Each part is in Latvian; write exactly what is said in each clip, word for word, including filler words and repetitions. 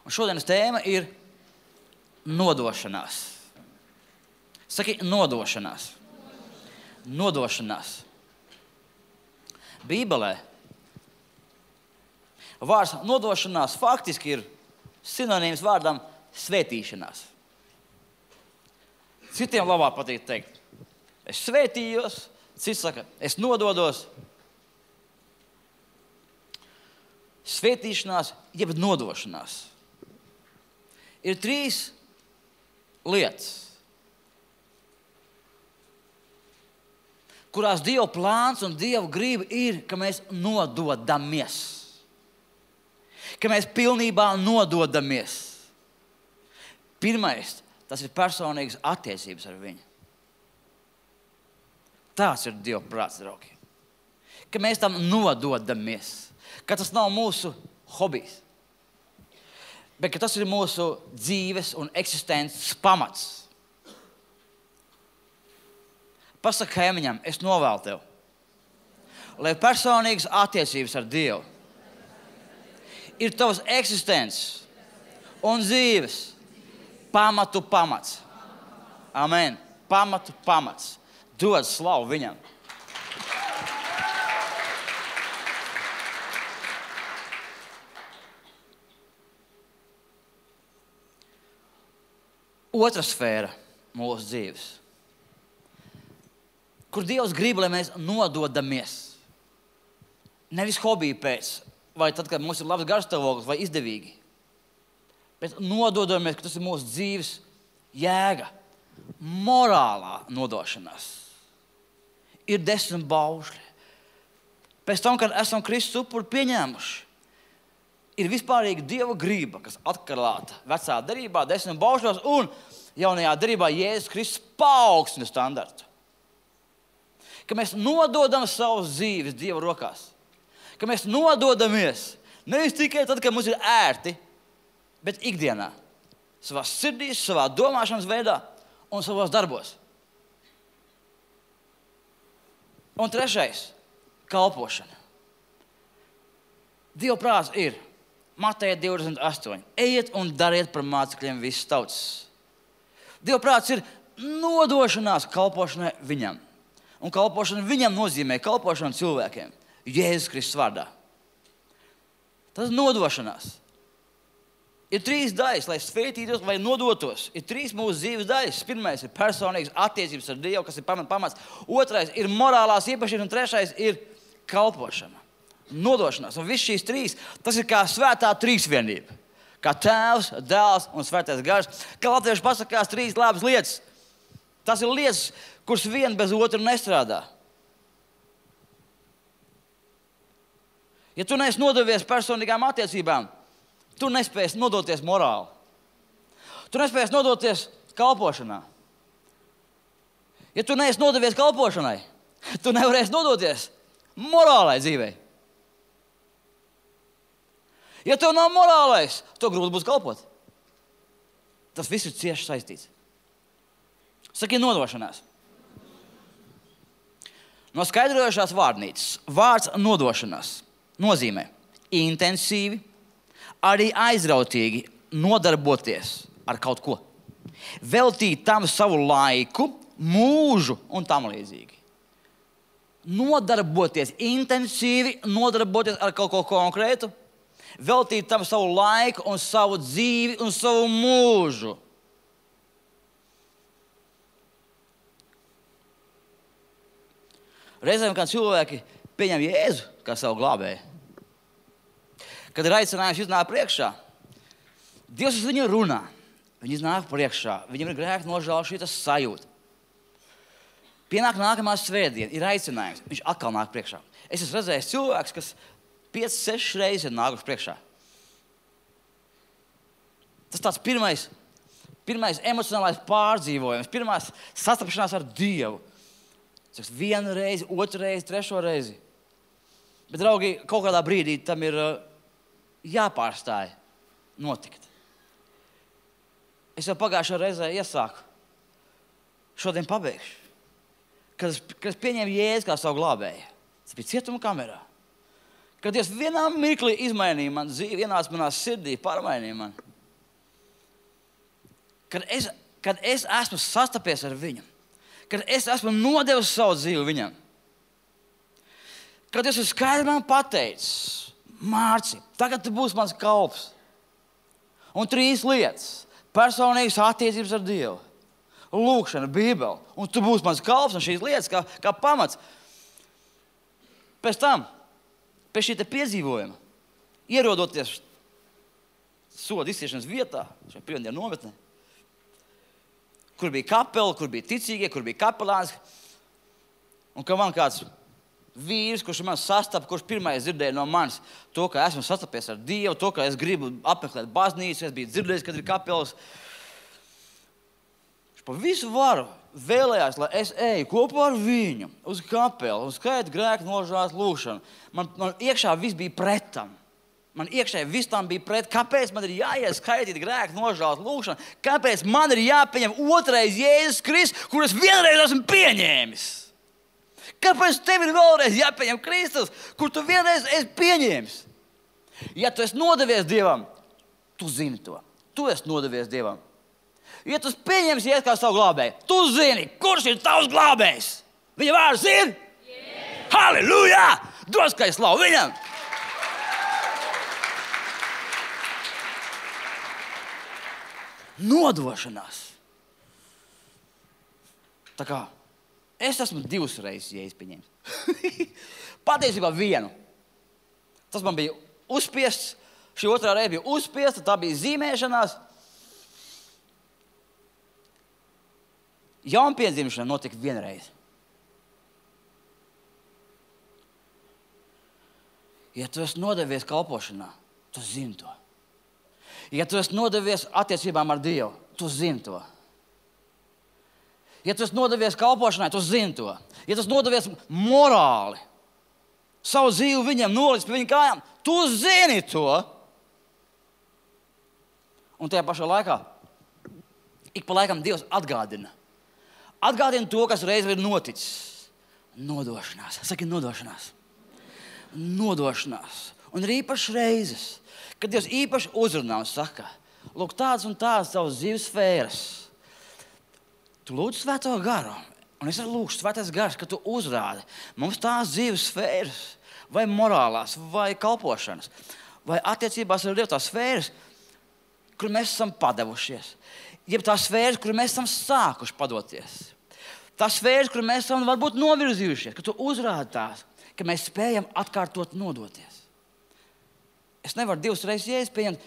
Un šodienas tēma ir nodošanās. Saki, nodošanās. Nodošanās. Bībelē vārds nodošanās faktiski ir sinonīms vārdam svētīšanās. Citiem labāk patīk teikt, es svētījos, cits saka, es nododos. Svētīšanās, jeb nodošanās. Ir trīs lietas, kurās Dieva plāns un Dieva grība ir, ka mēs nododamies. Ka mēs pilnībā nododamies. Pirmais, tas ir personīgas attiecības ar viņu. Tāds ir Dieva prāts, draugi. Ka mēs tam nododamies. Ka tas nav mūsu hobijs. Bet ka tas ir mūsu dzīves un eksistences pamats. Pasaka kaimiņam, es novēlu tev, lai personīgas attiecības ar Dievu ir tavas eksistences un dzīves pamatu pamats. Amen. Pamatu pamats. Dod slavu viņam. Otra sfēra mūsu dzīves, kur Dievs grib, lai mēs nododamies. Nevis hobiju pēc, vai tad, kad mums ir labs garastāvoklis vai izdevīgi. Bet nododamies, ka tas ir mūsu dzīves jēga. Morālā nodošanās. Ir desmit baušļi. Pēc tam, kad esam Kristus upuri pieņēmuši, ir vispārīga Dieva grība, kas atklāta vecā derībā, desmit baušļos, un jaunajā derībā Jēzus Kristus paaugstina standartu. Ka mēs nododam savus dzīves Dieva rokās. Ka mēs nododamies nevis tikai tad, kad mums ir ērti, bet ikdienā. Savā sirdīs, savā domāšanas veidā un savos darbos. Un trešais – kalpošana. Dieva prāts ir Mateja divdesmit astoņi. Ejiet un dariet par mācekļiem visas tautas. Dieva prāts ir nodošanās kalpošanai viņam. Un kalpošana viņam nozīmē kalpošanu cilvēkiem. Jēzus Kristus vārdā. Tas ir nodošanās. Ir trīs daļas, lai svētītos vai nodotos. Ir trīs mūsu dzīves daļas. Pirmais ir personīgas attiecības ar Dievu, kas ir pamats. Otrais ir morālās īpašības, un trešais ir kalpošana. Nodošanās. Un viss šīs trīs, tas ir kā svētā trīsvienība. Kā Tēvs, Dēls un Svētais Gars. Kā latvieši pasakās trīs labas lietas. Tas ir lietas, kuras viena bez otra nestrādā. Ja tu neesi nodevies personīgām attiecībām, tu nespēsi nodoties morāli. Tu nespēsi nodoties kalpošanā. Ja tu neesi nodevies kalpošanai, tu nevarēsi nodoties morālai dzīvei. Ja tev nav morālais, to grūti būs kalpot. Tas viss ir cieši saistīts. Saki nodošanās. No skaidrojošās vārnīcas vārds nodošanās nozīmē intensīvi, arī aizrautīgi nodarboties ar kaut ko. Veltīt tam savu laiku, mūžu un tam līdzīgi. Nodarboties intensīvi, nodarboties ar kaut ko konkrētu, veltīt tam savu laiku un savu dzīvi un savu mūžu. Reizēm, kad cilvēki pieņem Jēzu kā savu glābēju, kad ir aicinājums iznāk priekšā, Dievs uz viņu runā. Viņi iznāk priekšā, viņam ir grēka nožēla šitas sajūta. Pienāk nākamā svētdiena, ir aicinājums, viņš atkal nāk priekšā. Es esmu redzējis cilvēks, kas piecas, sešas reizes ir nākuši priekšā. Tas tāds pirmais, pirmais emocionālais pārdzīvojums, pirmās sastapšanās ar Dievu. Saks, vienu reizi, otru reizi, trešo reizi. Bet, draugi, kaut kādā brīdī tam ir uh, jāpārstāj notikt. Es jau pagājušā reizē iesāku. Šodien pabeigšu. Kad es, kad es pieņēmu Jēzu kā savu glābēju. Tas bija cietuma kamerā. Kad Dievs vienā mirklī izmainīja man dzīvi, ienāca manā sirdī, pārmainīja man. kad es, kad es esmu sastapies ar viņu, kad es esmu nodevis savu dzīvi viņam, kad es esmu skaidri man pateicis, Mārci, tagad tu būsi mans kalps. Un trīs lietas - personīgas attiecības ar Dievu, lūkšana, Bībele, un tu būsi mans kalps, un šīs lietas kā, kā pamats. Pēc tam, pēc šī te piedzīvojuma, ierodoties soda izciešanas vietā, šajā pirmdienu nometnē, kur bija kapela, kur bija ticīgie, kur bija kapelāns, un ka man kāds vīrs, kurš man sastapa, kurš pirmais dzirdēja no manis to, ka esmu sastapies ar Dievu, to, ka es gribu apmeklēt baznīcu, es biju dzirdējis, kad ir kapelas. Viņš pa visu varu vēlējās, lai es eju kopā ar viņu uz kapelu, uz skaitu grēku nožēlas lūkšanu. Man, man iekšā viss bija pretam. Man iekšā viss tam bija pret. Kāpēc man ir jāiet skaitīt grēku nožēlas lūkšanu? Kāpēc man ir jāpieņem otrais Jēzus Kristus, kur es vienreiz esmu pieņēmis? Kāpēc tev ir vēlreiz jāpieņem Kristus, kur tu vienreiz esi pieņēmis? Ja tu esi nodevies Dievam, tu zini to. Tu esi nodevies Dievam. Ja tu pieņemsi Jēzu kā savu glābēju, tu zini, kurš ir tavs glābējs. Viņa vārds ir? Yeah. Halleluja! Dos, ka es slavu viņam! Nodošanās. Tā kā es esmu divas reizes Jēzus pieņēmis. Patiesībā vienu. Tas man bija uzspiests, šī otrā reize bija uzspiesta, tā bija zīmēšanās. Jaunpiedzimšana notika vienreiz. Ja tu esi nodevies kalpošanā, tu zini to. Ja tu esi nodevies attiecībām ar Dievu, tu zini to. Ja tu esi nodevies kalpošanai, tu zini to. Ja tu esi nodevies morāli, savu dzīvi viņam nolicis pie viņa kājām, tu zini to. Un tajā pašā laikā, ik pa laikam Dievs atgādina. Atgādina to, kas reiz ir noticis. Nodošanās. Saki nodošanās. Nodošanās. Un ir īpaši reizes, kad Dievs īpaši uzrunā un saka, lūk, tādas un tādas savas dzīves sfēras. Tu lūdzu Svēto garu, un es arī lūkšu Svētais gars, ka tu uzrādi mums tās dzīves sfēras, vai morālās, vai kalpošanas, vai attiecībās ar Dievu tās sfēras, kur mēs esam padevušies. Jeb tās sfēras, kur mēs esam sākuši padoties. Tās sfēras, kur mēs esam varbūt novirzījušies, ka tu uzrādi tās, ka mēs spējam atkārtot nodoties. Es nevaru divas reizes Jēzus pieņemt,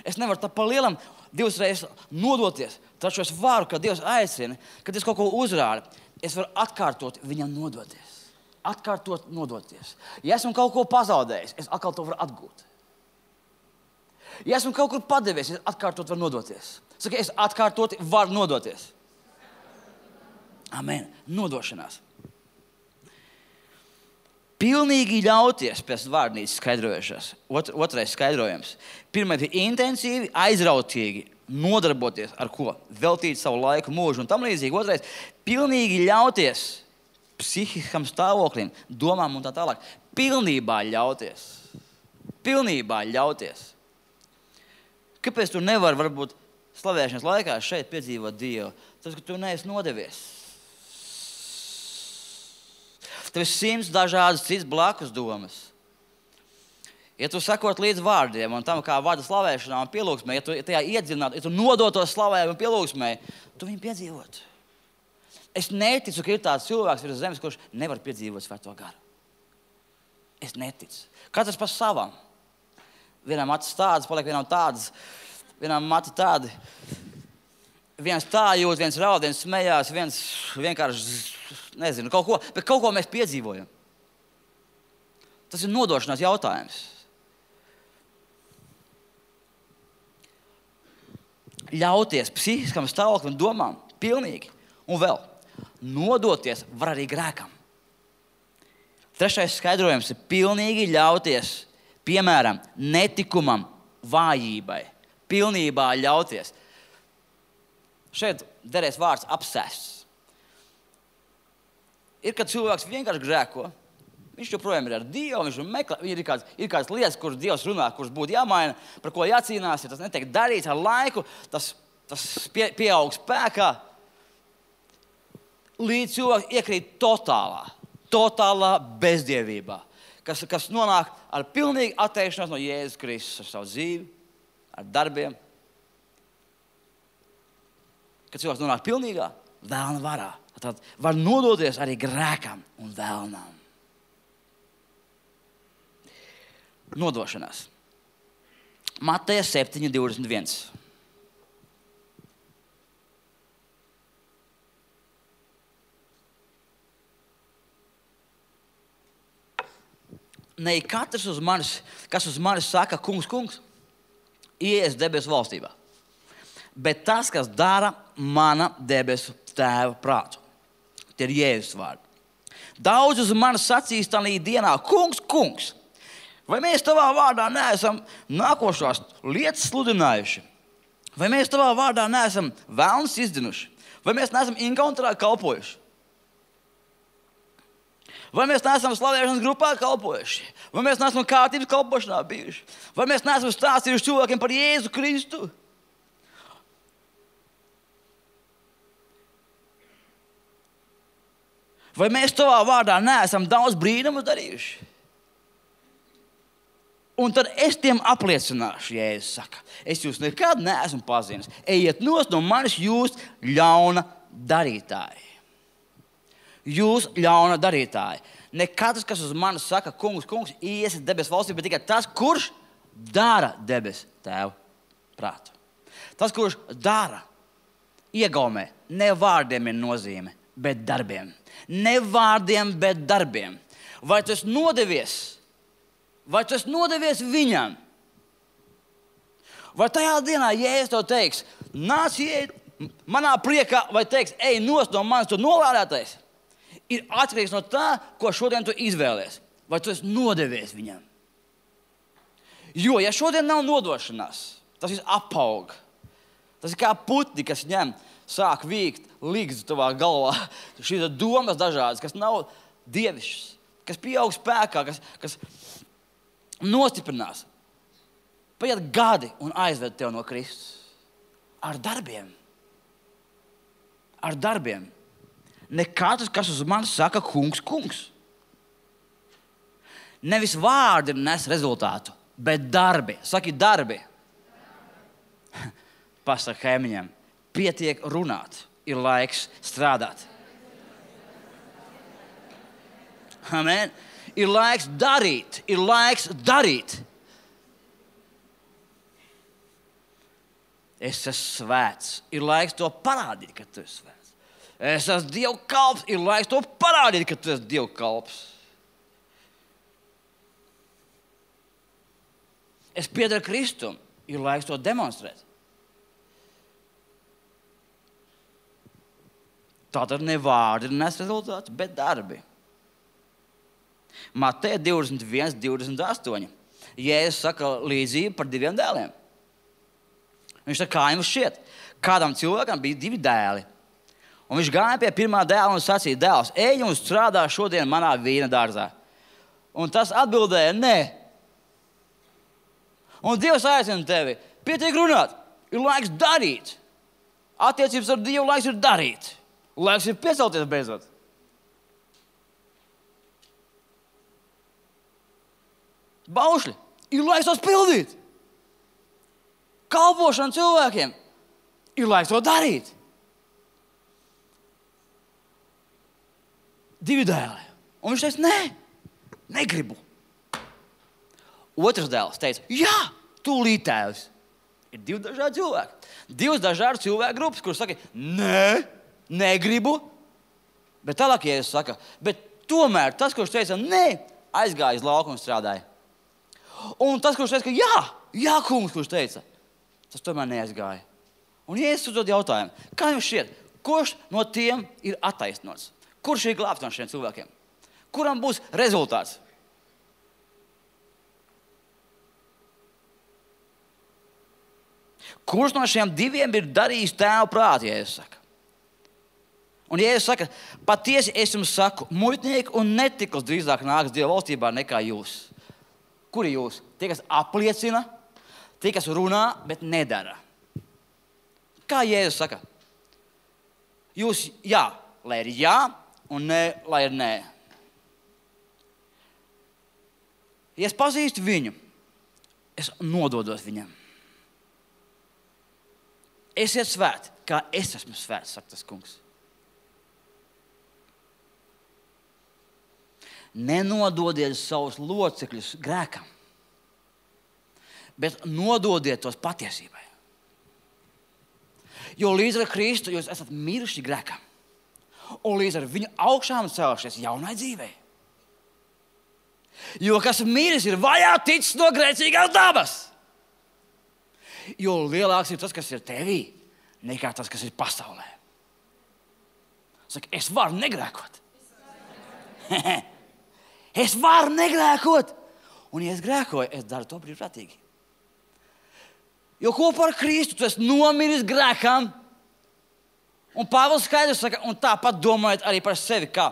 es nevaru tā pa lielam divas reizes nodoties, taču es varu, kad Dievs aicina, kad es kaut ko uzrādu, es varu atkārtot viņam nodoties. Atkārtot nodoties. Ja esmu kaut ko pazaudējis, es atkal to varu atgūt. Ja esmu kaut kur padevies, es atkārtot varu nodoties. Saka, es atkārtot varu nodoties. Amen. Nodošanās. Pilnīgi ļauties pēc vārnīcas skaidrojušās. Ot, otrais skaidrojums. Pirmais ir intensīvi, aizrautīgi nodarboties ar ko? Veltīt savu laiku, mūžu un tam līdzīgi. Otrais – pilnīgi ļauties psihiskam stāvoklim, domām un tā tālāk. Pilnībā ļauties. Pilnībā ļauties. Kāpēc tu nevari varbūt slavēšanas laikā šeit piedzīvot Dievu? Tas, ka tu neesi nodevies. Tev ir simts dažādas citas blakus domas. Ja tu sakot līdz vārdiem un tam, kā vada slavēšanā un pielūgsmē, ja tu tajā iedzinātu, ja tu nodotos slavējumu un pielūgsmē, tu viņu piedzīvot. Es neticu, ka ir tāds cilvēks virs zemes, kurš nevar piedzīvot Svēto garu. Es neticu. Katrs par savam. Vienam acis tādas, paliek vienam tādas, vienam mati tādi. Viens tā jūt, viens raud, viens smējās, viens vienkārši, nezinu, kaut ko, bet kaut ko mēs piedzīvojam. Tas ir nodošanās jautājums. Ļauties psihiskam stāvoklim un domām, pilnīgi. Un vēl, nodoties var arī grēkam. Trešais skaidrojums ir pilnīgi ļauties, piemēram, netikumam, vājībai. Pilnībā ļauties. Šeit derēs vārds apsēsts. Ir, kad cilvēks vienkārši grēko, viņš joprojām ir ar Dievu, viņš meklē, ir kāds, ir kāds lietas, kuras Dievs runā, kuras būtu jāmaina, par ko jācīnās, ja tas netiek darīts ar laiku, tas tas pie, pieaug spēkā, līdz cilvēks iekrīt totālā, totālā bezdievībā, kas, kas nonāk ar pilnīgu atteikšanos no Jēzus Kristus ar savu dzīvi, ar darbiem. Kad cilvēks nonāk pilnīgā vēlna varā, tad var nodoties arī grēkam un vēlnām. Nodošanās. Mateja septiņi divdesmit viens. Ne katrs uz manis, kas uz manis saka, kungs, kungs, ieies debesu valstībā. Bet tas, kas dara mana debesu tēva prātu. Tie ir Jēzus vārdi. Daudz uz manis sacīs tādā dienā, kungs, kungs, vai mēs tavā vārdā neesam nākošās lietas sludinājuši? Vai mēs tavā vārdā neesam vēlnus izdzinuši? Vai mēs neesam inkauntrā kalpojuši? Vai mēs neesam slavēšanas grupā kalpojuši? Vai mēs neesam kārtības kalpošanā bijuši? Vai mēs neesam stāstījuši cilvēkiem par Jēzu Kristu? Vai mēs tavā vārdā neesam daudz brīnumus darījuši? Un tad es tiem apliecināšu, Jēzus saka, es jūs nekad neesmu pazinis. Ejiet nost no manis jūs ļauna darītāji. Jūs ļauna darītāji. Ne katrs, kas uz mani saka, kungs, kungs, iesiet debesu valstī, bet tikai tas, kurš dara debesu tēva prātu. Tas, kurš dara, iegaumē, ne vārdiem ir nozīme, bet darbiem. Ne vārdiem, bet darbiem. Vai tu esi nodevies? Vai tu esi nodevies viņam? Vai tajā dienā, ja es tev teiks, nāc iet manā priekā, vai teiks, ej nost no manis, tu nolādētais, ir atkarīgs no tā, ko šodien tu izvēlies. Vai tu esi nodevies viņam? Jo, ja šodien nav nodošanās, tas viss apaug. Tas ir kā putni, kas ņem, sāk vīkt līgzi tavā galvā. Šīs domas dažādas, kas nav dievišķas, kas pieaug spēkā, kas, kas nostiprinās. Paiet gadi un aizved tev no Kristus. Ar darbiem. Ar darbiem. Ne katrs, kas uz mani saka, kungs, kungs. Nevis vārdi nes rezultātu, bet darbi. Saki darbi. Pasaka kaimiņam, pietiek runāt, ir laiks strādāt. Amen. Ir laiks darīt, ir laiks darīt. Es esmu svēts, ir laiks to parādīt, ka tu esi svēts. Es esmu Dieva kalps, ir laiks to parādīt, ka tu esi Dieva kalps. Es piederu Kristum, ir laiks to demonstrēt. Tātad ne vārdi nes rezultātu, bet darbi. Mateja divdesmit viens, divdesmit astoņi. Jēzus saka līdzību par diviem dēliem. Viņš saka, kā jums šķiet? Kādam cilvēkam bija divi dēli. Un viņš gāja pie pirmā dēla un sacīja, dēls, ej un strādā šodien manā vīna dārzā. Un tas atbildēja, nē. Un Dievs aicina tevi, pietiek runāt, ir laiks darīt. Attiecības ar Dievu laiks ir darīt. Laiks ir piecelties beidzot. Baušļi, ir laiks tos pildīt. Kalpošana cilvēkiem, ir laiks to darīt. Divi dēli. Un viņš teica, nē, negribu. Otrs dēls teica, jā, tūlīt tēvs. Ir divi dažādi cilvēki. Divas dažādas cilvēku grupas, kuras saka, nē, negribu. Bet tālāk, ja es saku, bet tomēr tas, kurš teica, nē, aizgāja uz lauku un strādāja. Un tas, kurš teica, ka jā, jā, kungs, kurš teica, tas tomēr neaizgāja. Un ja es uzdod jautājumu, kā jums šķiet, kurš no tiem ir attaisnots? Kurš ir glābts no šiem cilvēkiem? Kuram būs rezultāts? Kurš no šiem diviem ir darījis tēva prātu, ja es saku? Un ja es saku, patiesi es jums saku, muitnieki un netikls drīzāk nāks Dieva valstībā nekā jūs. Kuri jūs? Tie, kas apliecina, tie, kas runā, bet nedara. Kā Jēzus saka? Jūs jā, lai ir jā, un nē, lai ir nē. Ja es pazīstu viņu, es nododos viņam. Esiet svēti, kā es esmu svēts, saka tas kungs. Nenododiet savus locekļus grēkam, bet nododiet tos patiesībai. Jo līdz ar Kristu jūs esat miruši grēkam, un līdz ar viņu augšām celšies jaunai dzīvei. Jo kas miris ir vaļā ticis no grēcīgās dabas. Jo lielāks ir tas, kas ir tevī, nekā tas, kas ir pasaulē. Saka, es varu negrēkot. Es varu negrēkot. Un, ja es grēkoju, es daru to brīvprātīgi. Jo kopā ar Kristu tu esi nomiris grēkam. Un Pāvils skaidrs saka, un tāpat domājot arī par sevi, kā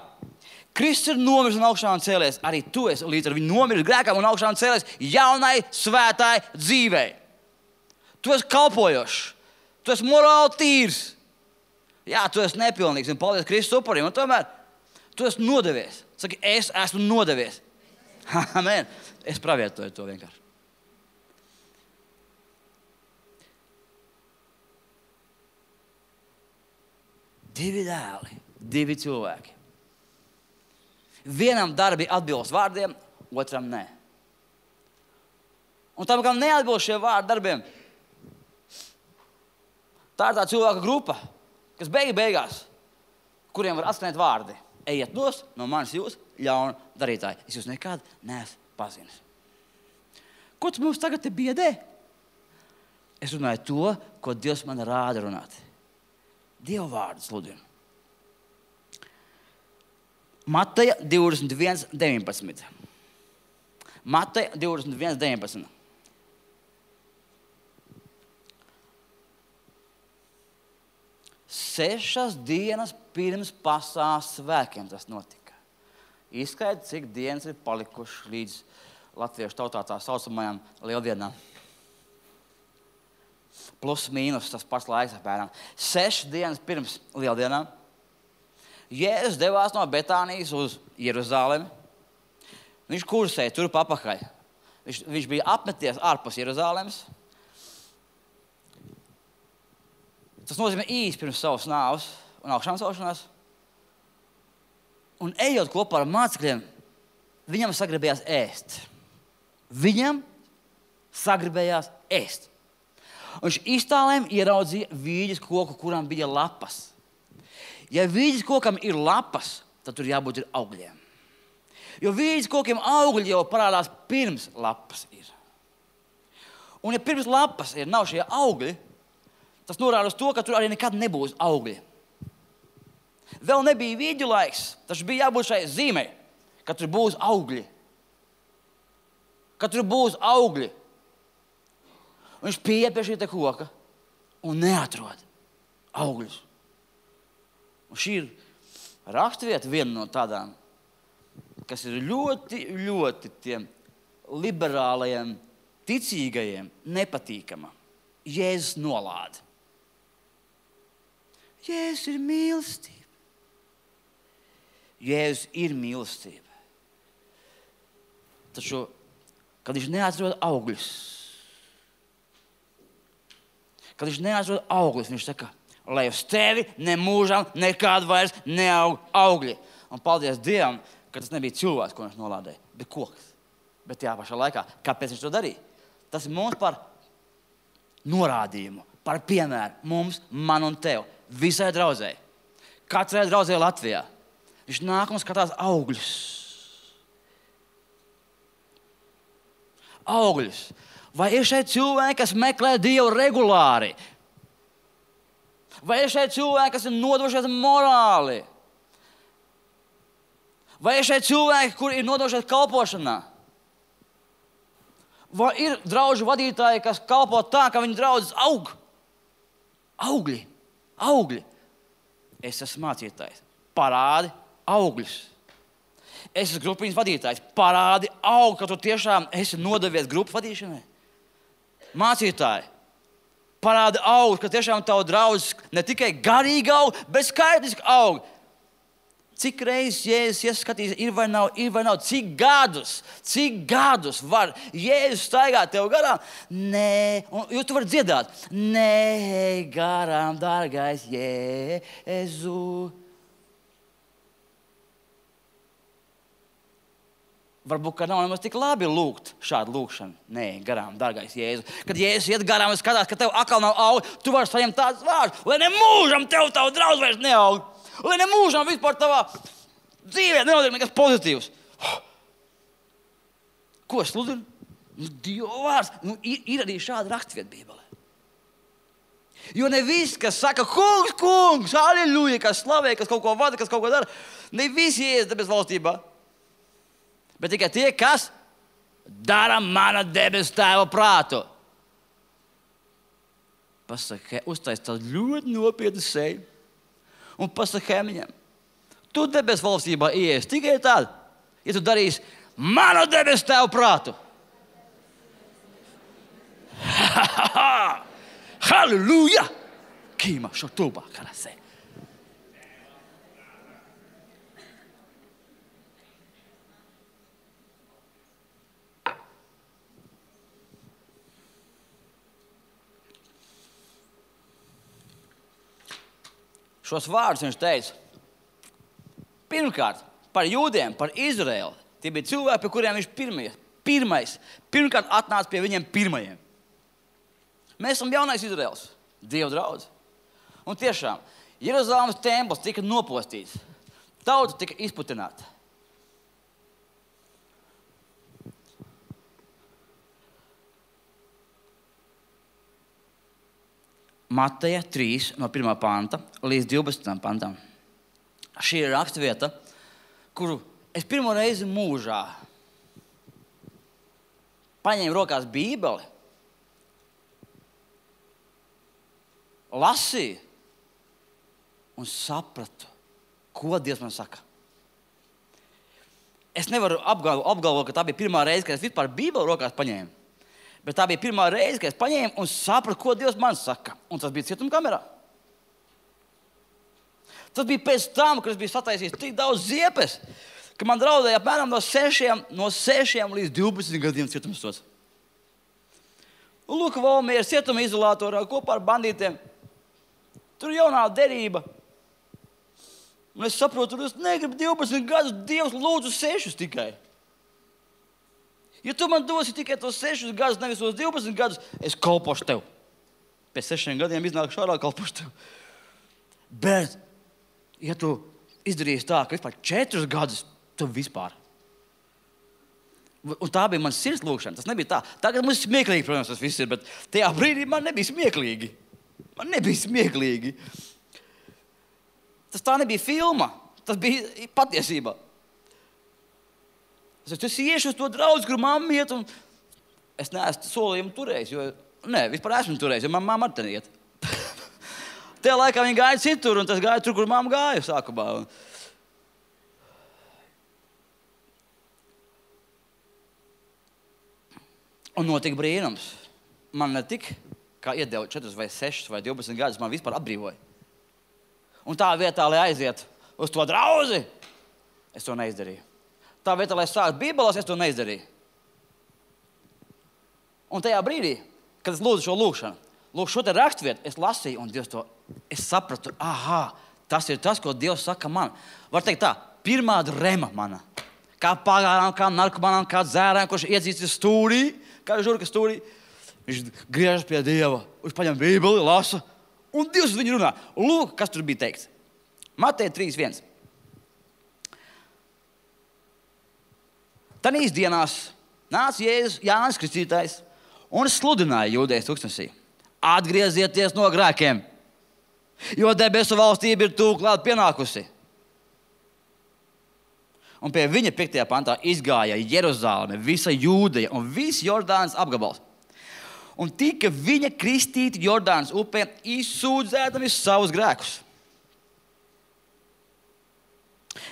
Kristus ir nomiris un augšām cēlies. Arī tu esi līdz ar viņu nomiris grēkam un augšām cēlies jaunai, svētai dzīvei. Tu esi kalpojošs. Tu esi morāli tīrs. Jā, tu esi nepilnīgs un paldies Kristus upurim. Un tomēr tu esi nodevies. Saki, es esmu nodevies. Amen. Es pravietoju to vienkārši. Divi dēli, divi cilvēki. Vienam darbi atbilst vārdiem, otram nē. Un tam, kam neatbilst šie vārdi darbiem, tā ir tā cilvēka grupa, kas beig beigās, kuriem var atskanēt vārdi. Ejiet nost no manis jūs, ļaunu darītāji. Es jūs nekad neesmu pazinis. Ko tu mums tagad te biedē? Es runāju to, ko Dievs man rāda runāt. Dieva vārdu sludinu. Mateja divdesmit viens deviņpadsmit. Mateja divdesmit viens deviņpadsmit. Sešas dienas pirms pasaules svētkiem tas notika. Izskaidri, cik dienas ir palikušas līdz latviešu tautā tā saucamajām lieldienām. Plus mīnus tas pats laiks apmēram. Sešas dienas pirms lieldienām Jēzus devās no Betānijas uz Jeruzalemi. Viņš kursēja tur papakaļ. Viņš, viņš bija apmeties ārpus Jeruzalemes. Tas nozīmē īsti pirms savas nāves un augšām celšanās. Un ejot kopā ar mācekļiem, viņam sagribējās ēst. Viņam sagribējās ēst. Un viņš iztālēm ieraudzīja vīģes koku, kurām bija lapas. Ja vīģes kokam ir lapas, tad tur jābūt ir augļiem. Jo vīģes kokiem augļi jau parādās pirms lapas ir. Un ja pirms lapas ir nav šie augļi, tas norāda uz to, ka tur arī nekad nebūs augļi. Vēl nebija vīģu laiks, taču bija jābūt šai zīmei, ka tur būs augļi. Ka tur būs augļi. Un viņš pieiet pie šī te koka un neatrod augļus. Un šī ir raksturvieta viena no tādām, kas ir ļoti, ļoti tiem liberālajiem, ticīgajiem nepatīkama. Jēzus nolāda. Jēzus ir mīlestība. Jēzus ir mīlestība. Taču, kad viņš neatrod augļus, kad viņš neatrod augļus, viņš saka, lai uz tevi nemūžam nekād vairs neaug augļi. Un paldies Dievam, ka tas nebija cilvēks, ko viņš nolādēja, bet koks. Bet tajā pašā laikā, kāpēc viņš to darīja? Tas ir mums par norādījumu, par piemēru mums, man un tev, visai draudzēji. Katrai draudzēji Latvijā. Viņš nāk un skatās augļus. Augļus. Vai ir šeit cilvēki, kas meklē Dievu regulāri? Vai ir šeit cilvēki, kas ir nodošies morāli? Vai ir šeit cilvēki, kuri ir nodošies kalpošanā? Vai ir draugu vadītāji, kas kalpo tā, ka viņu draudzes aug? Augļi, augļi. Es esmu mācītājs. Parādi augļus. Es esmu grupiņas vadītājs. Parādi aug, ka tu tiešām esi nodevies grupu vadīšanai. Mācītāji, parāda aug, ka tiešām tavu draugs ne tikai garīgi aug, bet skaitliski aug. Cik reizes Jēzus ieskatīs, ir vai nav, ir vai nav, cik gadus, cik gadus var Jēzus staigāt tev garām? Nē, un jūs tu vari dziedāt. Nē, garām, dārgais Jēzu. Varbūt, ka nav nemaz tik labi lūgt šādu lūgšanu. Nē, garām, dārgais Jēzu. Kad Jēzus iet garām un skatās, ka tev atkal nav aug, tu vari saņemt tādus vārdus, lai ne mūžam tev tavu draugu vairs neaug. Lai ne mūžam vispār tavā dzīvē nenotiek nekas pozitīvs. Ko sludinu? Nu, Dieva vārds. Nu, ir, ir arī šāda rakstvieta Bībelē. Jo ne viss, kas saka, kungs, kungs, aleluja, kas slavē, kas kaut ko vada, kas kaut ko dara, ne visi ies debes valstībā. Bet tikai tie, kas dara mana debes tēva prātu. Pasaka, uztais tādu ļoti nopietnu seju un pasaka Hemiņam, tu debes valstībā ies tikai tad, ja tu darīsi manu debes tēva prātu. Halleluja! Kīma šotūbā karasē. Šos vārdus viņš teica pirmkārt par jūdiem, par Izraēlu. Tie bija cilvēki, pie kuriem viņš pirmie, pirmais, pirmkārt atnāca pie viņiem pirmajiem. Mēs esam jaunais Izraēls, Dieva draudz. Un tiešām, Jeruzalemes templis tika nopostīts. Tauta tika izputināta. Mateja trīs no pirmā panta līdz divpadsmitajam pantam. Šī ir rakstvieta, kuru es pirmo reizi mūžā paņēmu rokās Bībeli, lasīju un sapratu, ko Dievs man saka. Es nevaru apgalvot, apgalvot, ka tā bija pirmā reize, kad es vispār Bībeli rokās paņēmu. Bet tā bija pirmā reize, kad es paņēmu un sapratu, ko Dievs man saka. Un tas bija cietumkamerā. Tas bija pēc tam, kad es biju sataisījis tik daudz ziepes, ka man draudēja apmēram no sešiem, no sešiem līdz divpadsmit gadiem cietumsots. Un lūk, Valmieras cietuma izolatorā kopā ar bandītiem. Tur jaunā derība. Un es saprotu, ka es negribu divpadsmit gadus, Dievs lūdzu sešus tikai. Ja tu man dosi tikai tos sešus gadus, nevis tos divpadsmit gadus, es kalpošu tev. Pēc sešiem gadiem iznāku šādā kalpošu tev. Bet, ja tu izdarīsi tā, ka vispār četrus gadus, tu vispār. Un tā bija mana sirds lūkšana. Tas nebija tā. Tagad mums ir smieklīgi, protams, tas viss ir, bet tajā brīdī man nebija smieklīgi. Man nebija smieklīgi. Tas tā nebija filma. Tas bija patiesībā. Es iešu uz to draudzi, kur mamma iet, un es neesmu solījumu turējis, jo, nē, vispār esmu turējis, jo man mamma ar teni iet. Tajā laikā viņa gāja citur, un tas gāja tur, kur mamma gāja sākumā. Un notika brīnums. Man ne tik, kā iedeva četrus vai sešus vai divpadsmit gadus, man vispār atbrīvoja. Un tā vietā, lai aiziet uz to draudzi, es to neizdarīju. Tā vietā, lai sāktu Bībeles, es to neizdarīju. Un tajā brīdī, kad es lūdzu šo lūgšanu, lūk, šo te rakstvietu, es lasīju, un Dievs to, es sapratu, aha, tas ir tas, ko Dievs saka man. Var teikt tā, pirmā drema mana. Kā pagārām, kā narkomanām, kā dzērām, kurš iedzīstis stūrī, kā žurka stūrī. Viņš griežas pie Dieva, viņš paņem Bībeli, lasa, un Dievs uz viņu runā. Lūk, kas tur bija teikts. Mateja trīs viens. Tanīs dienās nāca Jēzus Jānis Kristītājs un sludināja Jūdejas tūkstnesī. Atgriezieties no grēkiem, jo debesu valstība ir tuvu klāt pienākusi. Un pie viņa piektajā pantā izgāja Jeruzaleme, visa Jūdeja un viss Jordānas apgabals. Un tika viņa kristīti Jordānas upē, izsūdzēdami savus grēkus.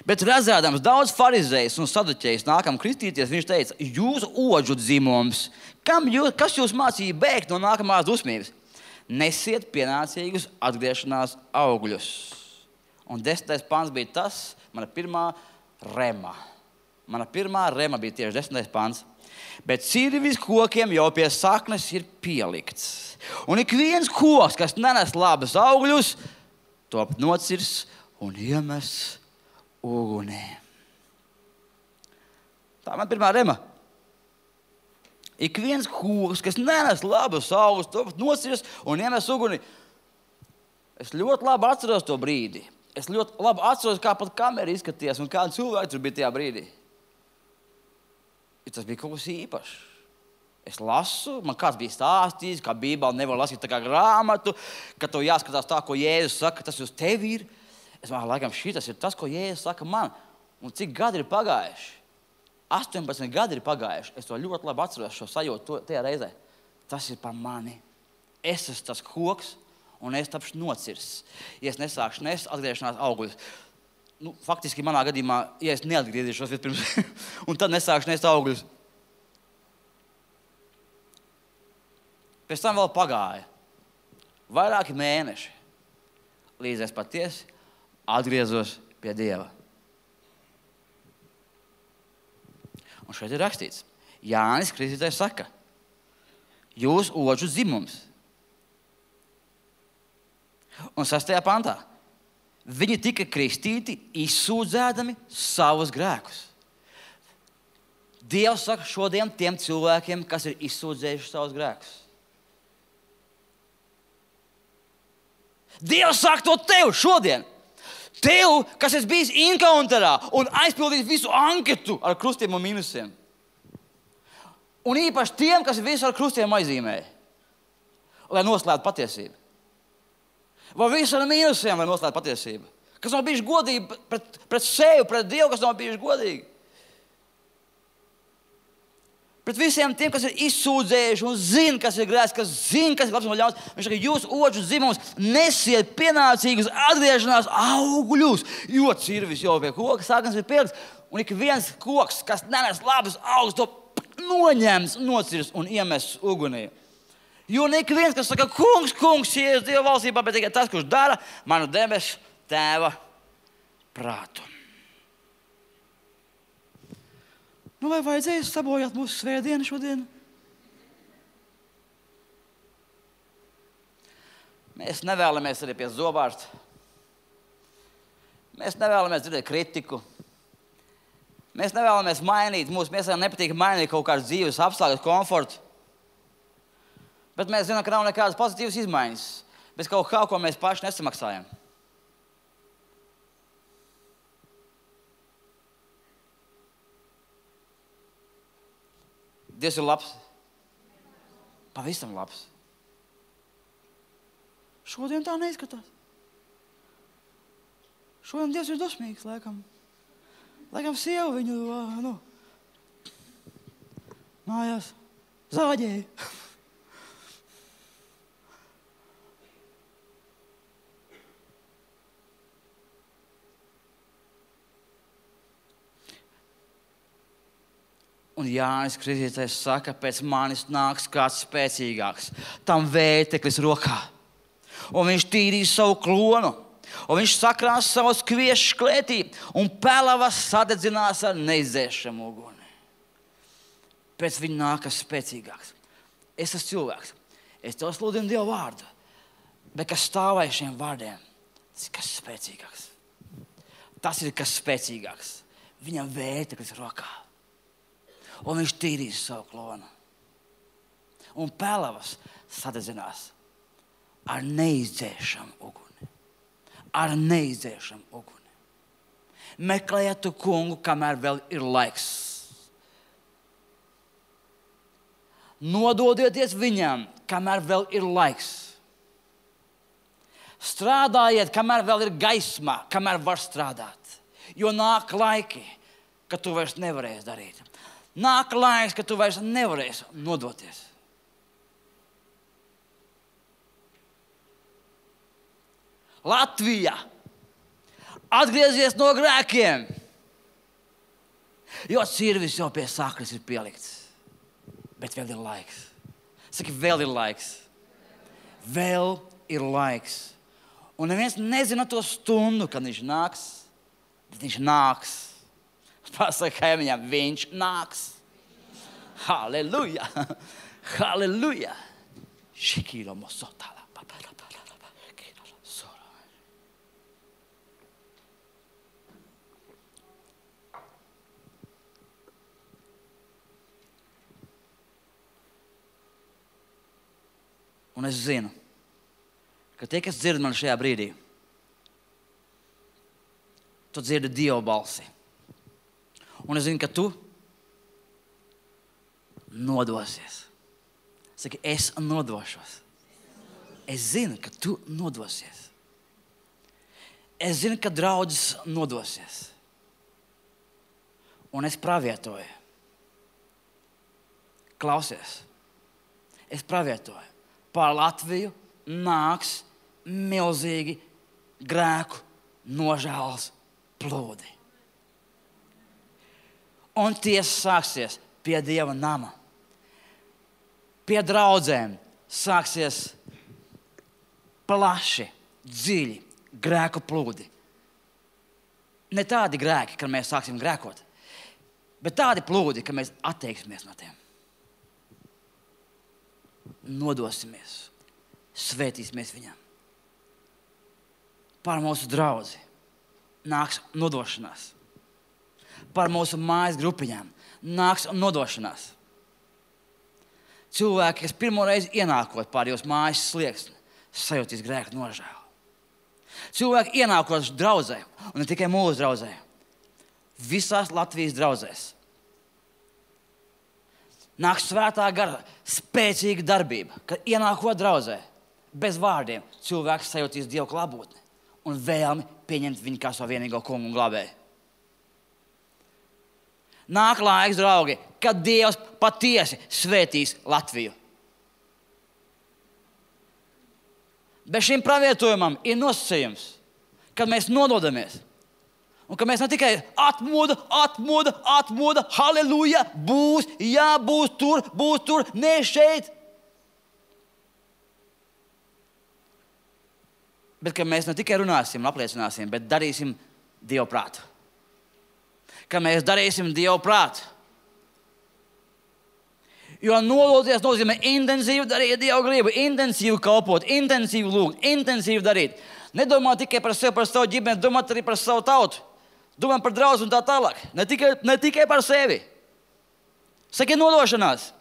Bet redzēdams daudz farizējus un saduķējus nākam kristīties, viņš teica, jūsu oģu dzimums, kam jūs, kas jūs mācīja bēgt no nākamās dusmības? nesiet pienācīgus atgriešanās augļus. Un desmitais pants bija tas, mana pirmā rema. Mana pirmā rema bija tieši desmitais pants. Bet cirvis kokiem jau pie saknes ir pielikts. Un ik viens koks, kas nenes labus augļus, top nocirs un iemes ugunī. Tā man pirmā rema. Ik viens koks, kas nenes labus augļus, top nocirs un iemes ugunī. Es ļoti labi atceros to brīdi. Es ļoti labi atceros, kā pat kamera izskatījās un kādi cilvēki tur bija tajā brīdī. Tas bija kaut kas īpašs. Es lasu, man kāds bija stāstījis, kā Bībeli nevar lasīt tā kā grāmatu, ka tev jāskatās tā, ko Jēzus saka, tas uz tevi ir. Es domāju, laikam, šitas ir tas, ko Jēzus saka man. Un cik gadi ir pagājuši? astoņpadsmit gadi ir pagājuši. Es to ļoti labi atceros, šo sajūtu tajā reizē. Tas ir par mani. Es esmu tas koks, un es tapšu nocirsts. Ja es nesākšu nest atgriešanās augļus. Nu, faktiski manā gadījumā, ja es neatgriezīšos vispirms, un tad nesākšu nest augļus. Pēc tam vēl pagāja vairāki mēneši, līdz es patiesi atgriezos pie Dieva. Un šeit ir rakstīts, Jānis Kristītājs saka, jūs oģu dzimums. Un sastajā pantā. Viņi tika kristīti, izsūdzēdami savus grēkus. Dievs saka šodien tiem cilvēkiem, kas ir izsūdzējuši savus grēkus. Dievs saka to tev šodien. Tev, kas esi bijis encounterā un aizpildījis visu anketu ar krustiem un mīnusiem. Un īpaši tiem, kas visu ar krustiem aizīmēja, lai noslēptu patiesību. Vai visu ar mīnusiem, lai noslēptu patiesību? Kas nav bijuši godīgi pret, pret sevi, pret Dievu, kas nav bijuši godīgi? Pret visiem tiem, kas ir izsūdzējuši un zina, kas ir grēks, kas zina, kas ir labs un ļauns. Viņš saka, jūs oģu dzimums nesiet pienācīgus atgriešanās augļus, jo cirvis jau pie koka saknes ir pielikts. Un ik viens koks, kas nenes labus augus, to noņems, nocirs un iemes ugunī. Jo ne ik viens, kas saka, kungs, kungs, Jēzus Dieva valstībā, bet tikai tas, kurš dara manu debesu tēva prātu. Nu, vai vajadzēja sabojāt mūsu svētdienu šodien? Mēs nevēlamies arī pie zobārsta. Mēs nevēlamies dzirdēt kritiku. Mēs nevēlamies mainīt, mūsu miesām nepatīk mainīt kaut kādas dzīves apstākļus, komfortu. Bet mēs zinām, ka nav nekādas pozitīvas izmaiņas, bez kaut kā, ko mēs paši nesamaksājam. Dievs ir labs. Pavisam labs. Šodien tā neizskatās. Šodien Dievs ir dosmīgs, laikam. Laikam sieva viņu, nu, mājās zāģēja. Un Jānis Kristītājs saka, pēc manis nāks kāds spēcīgāks, tam vēteklis rokā. Un viņš tīrīs savu klonu, un viņš sakrās savus kviešus klētī, un pelavas sadedzinās ar neizdzēšamu uguni. Pēc viņa nākas spēcīgāks. Es esmu cilvēks, es tev sludinu Dievu vārdu, bet kas stāvēja šiem vārdiem, tas ir kas spēcīgāks. Tas ir kas spēcīgāks. Viņam vēteklis rokā. Un viņš tīrīs savu klonu. Un pelavas sadedzinās ar neizdzēšamu uguni. Ar neizdzēšamu uguni. Meklējiet tu kungu, kamēr vēl ir laiks. Nododieties viņam, kamēr vēl ir laiks. Strādājiet, kamēr vēl ir gaisma, kamēr var strādāt. Jo nāk laiki, kad tu vairs nevarēsi darīt. Nāk laiks, ka tu vairs nevarēsi nodoties. Latvija, atgriezies no grēkiem, jo cirvis jau pie saknes ir pielikts. Bet vēl ir laiks. Saki, vēl ir laiks. Vēl ir laiks. Un neviens nezina to stundu, kad viņš nāks. Bet viņš nāks. Pasaka kaimiņam, viņš nāks. Halleluja! Halleluja! Šikīlo mosotala. Un es zinu, ka tie, kas dzird mani šajā brīdī, tu dzirdi Dieva balsi. Un es zinu, ka tu nodosies. Saki, es nodošos. Es zinu, ka tu nodosies. Es zinu, ka draudzes nodosies. Un es pravietoju. Klausies. Es pravietoju. Pār Latviju nāks milzīgi grēku nožēlas plūdi. Un tiesa sāksies pie Dieva nama. Pie draudzēm sāksies plaši, dziļi grēku plūdi. Ne tādi grēki, kad mēs sāksim grēkot, bet tādi plūdi, ka mēs atteiksimies no tiem. Nodosimies, svētīsimies viņam. Par mūsu draudzi nāks nodošanās. Par mūsu mājas grupiņām nāks nodošanās. Cilvēki, kas pirmo reizi ienākot pār jūsu mājas slieksni, sajūtīs grēku nožēlu. Cilvēki ienākot draudzē, un ne tikai mūsu draudzē, visās Latvijas draudzēs. Nāk svētā gara spēcīga darbība, kad ienākot draudzē, bez vārdiem, cilvēks sajūtīs Dievu klātbūtni un vēlmi pieņemt viņu kā savu vienīgo kungu un glābēju. Nāk laiks, draugi, kad Dievs patiesi svētīs Latviju. Bez šim pravietojumam ir nosacījums, kad mēs nododamies. Un ka mēs ne tikai atmoda, atmoda, atmoda, halleluja, būs, jā, būs tur, būs tur, ne šeit. Bet ka mēs ne tikai runāsim, apliecināsim, bet darīsim Dievu prātu. Ka mēs darīsim Dievu prātu. Jo nodoties nozīmē intensīvi darīt Dievu gribu, intensīvi kalpot, intensīvi lūgt, intensīvi darīt. Nedomā tikai par sevi, par savu ģimeni, domāt arī par savu tautu. Domā par draudzi un tā tālāk. Ne tikai, ne tikai par sevi. Saki nodošanās.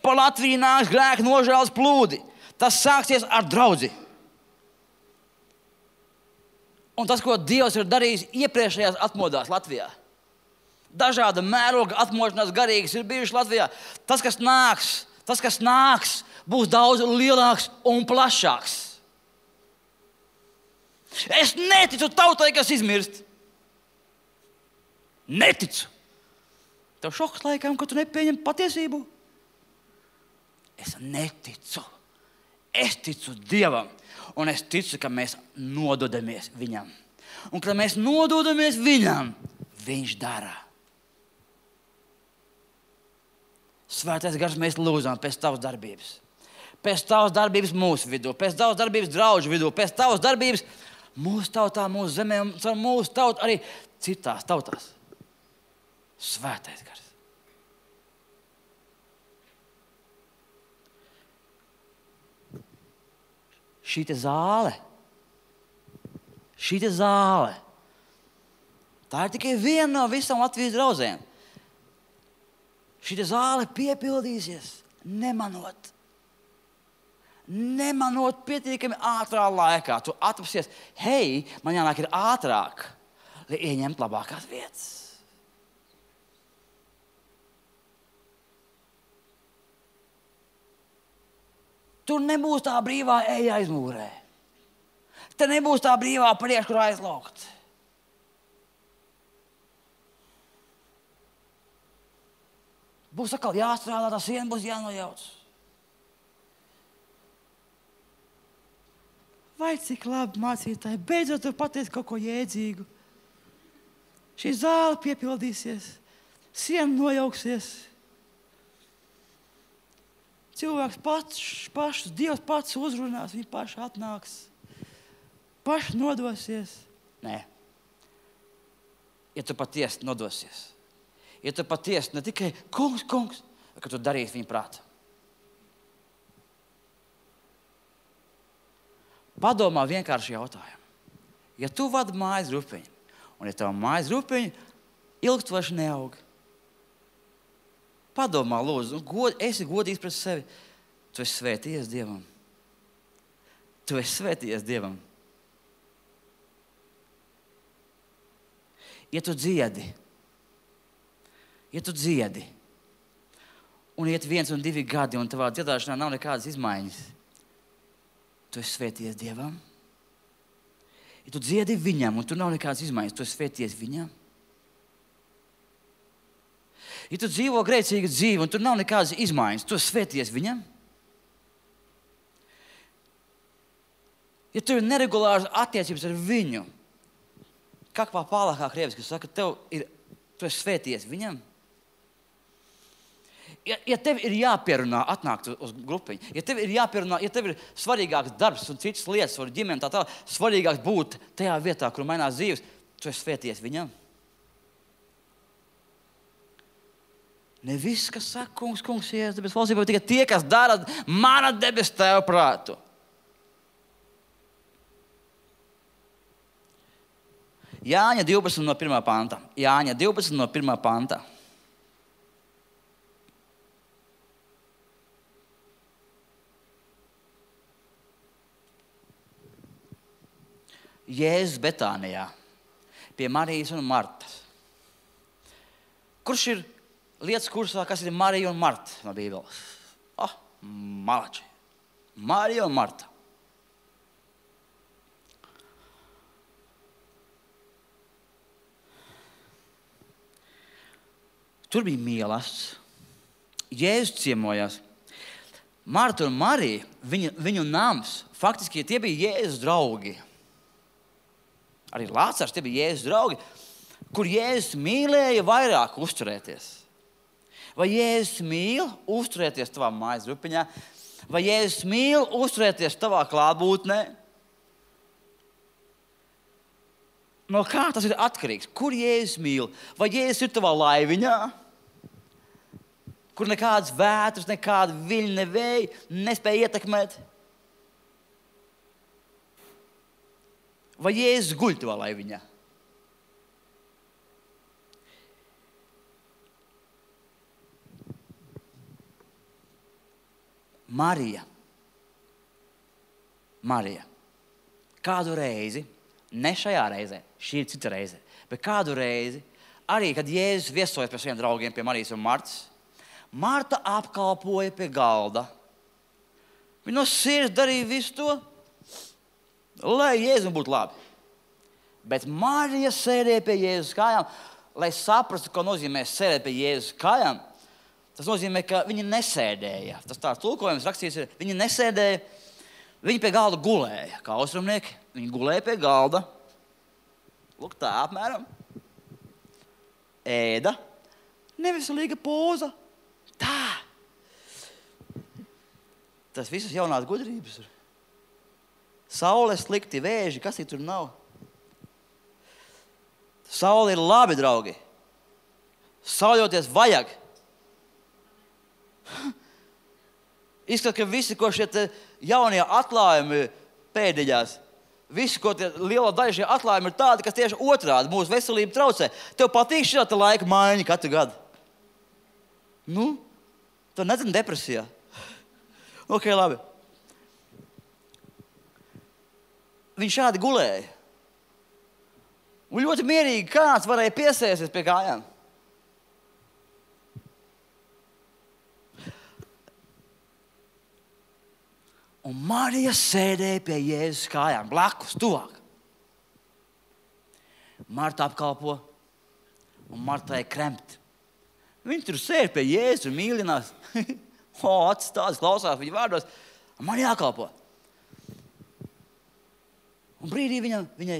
Par Latviju nāks grēku nožēlas plūdi. Tas sāksies ar draudzi. Un tas, ko Dievs ir darījis iepriekšējās atmodās Latvijā. Dažāda mēroga atmošanās garīgas ir bijušas Latvijā. Tas, kas nāks, tas, kas nāks, būs daudz lielāks un plašāks. Es neticu tautai, kas izmirst. Neticu. Tev šoks laikam, ka tu nepieņem patiesību. Es neticu. Es ticu Dievam. Un es ticu, ka mēs nododamies viņam. Un kad mēs nododamies viņam, viņš dara. Svētais gars, mēs lūdzam pēc tavas darbības. Pēc tavas darbības mūsu vidū, pēc tavas darbības draugu vidū, pēc tavas darbības mūsu tautā, mūsu zemē, un mūsu tautā arī citās tautās. Svētais gars. Šī te zāle, šī te zāle, tā ir tikai viena no visām Latvijas draudzēm. Šī te zāle piepildīsies, nemanot. Nemanot pietiekami ātrā laikā. Tu atrapsies, hei, man jānāk ir ātrāk, lai ieņemtu labākās vietas. Tur nebūs tā brīvā eja aizmūrē. Te nebūs tā brīvā priekškurā aizlaukt. Būs atkal jāstrādā, tā siena būs jānojauc. Vai cik labi mācītāji, beidzot tu pateici kaut ko jēdzīgu. Šī zāle piepildīsies, siena nojauksies. cilvēks pats, pašs, Dievs pats uzrunās, viņi paši atnāks, paši nodosies. Nē. Ja tu patiesi nodosies, ja tu patiesi ne tikai kungs, kungs, bet ka tu darīsi viņa prātu. Padomā vienkārši jautājumu. Ja tu vadi mājas grupiņu, un ja tava mājas grupiņa ilgstoši neaug, padomā, lūdzu, god, esi godīgs pret sevi. Tu esi svētījies Dievam. Tu esi svētījies Dievam. Ja tu dziedi, ja tu dziedi, un iet viens un divi gadi, un tavā dziedāšanā nav nekādas izmaiņas, tu esi svētījies Dievam. Ja tu dziedi viņam, un tur nav nekādas izmaiņas, tu esi svētījies viņam. Ja tu dzīvo grēcīgu dzīvi, un tur nav nekādas izmaiņas, tu esi svētījies viņam. Ja tu ir neregulāras attiecības ar viņu, kā kā pālākā krievis, kas saka, tev ir, tu esi svētījies viņam. Ja, ja tev ir jāpierunā atnākt uz grupiņu, ja tev ir jāpierunā, ja tev ir svarīgāks darbs un citas lietas, var ģimene tā tā, svarīgāks būt tajā vietā, kur mainās dzīves, tu esi svētījies viņam. Ne viss, kas saka, kungs, kungs, Jēzus, debes valstībā, tikai tie, kas dara mana debes Tēva prātu. Jāņa divpadsmit no pirmā panta. Jāņa divpadsmit no pirmā panta. Jēzus Betānijā pie Marijas un Martas. Kurš ir lietas kursā, kas ir Marija un Marta no Bībeles? Ah, malači. Marija un Marta. Tur bija mīlestības. Jēzus ciemojās. Marta un Marija, viņu, viņu nams, faktiski tie bija Jēzus draugi. Arī Lācars, tie bija Jēzus draugi, kur Jēzus mīlēja vairāk uzturēties. Vai Jēzus mīl uzturēties tavā mājas grupiņā? Vai Jēzus mīl uzturēties tavā klātbūtnē? No kā tas ir atkarīgs? Kur Jēzus mīl? Vai Jēzus ir tavā laiviņā? Kur nekādas vētras, nekāda viļņa, ne vēja nespēja ietekmēt? Vai Jēzus guļ tavā laiviņā? Marija. Marija. Kādu reizi, ne šajā reizē, šī ir cita reize, bet kādu reizi, arī, kad Jēzus viesojas pie saviem draugiem, pie Marijas un Martas, Marta apkalpoja pie galda. Viņa no sirds darīja visu to, lai Jēzum būtu labi. Bet Marija sēdēja pie Jēzus kājām, lai saprastu, ko nozīmē sēdēt pie Jēzus kājām. Tas nozīmē, ka viņi nesēdēja. Tas tāds tulkojums rakstīts ir, viņi nesēdēja, viņi pie galda gulēja, kā austrumnieki. Viņi gulēja pie galda. Lūk, tā apmēram. Ēda. Neveselīga poza. Tā. Tas visas jaunās gudrības ir. Saule slikti, vēži, kas tur nav? Saule ir labi, draugi. Sauļoties vajag. Izskatās, ka visi, ko šie jaunie atklājumi pēdiņās, visi, ko tie liela daļa šie atklājumi ir tādi, kas tieši otrādi mūsu veselību traucē. Tev patīk šī laika maiņa katru gadu? Nu, tu nezini depresijā. Ok, labi. Viņš šādi gulēja. Un ļoti mierīgi kāds varēja piesēsties pie kājām. Un Marija sēdēja pie Jēzus kājām, blakus, tuvāk. Marta apkalpo, un Martai kremt. Viņi tur sēž pie Jēzus un mīlinās. O, acis tādas klausās viņa vārdos. Man jākalpo. Un brīdī viņam, viņai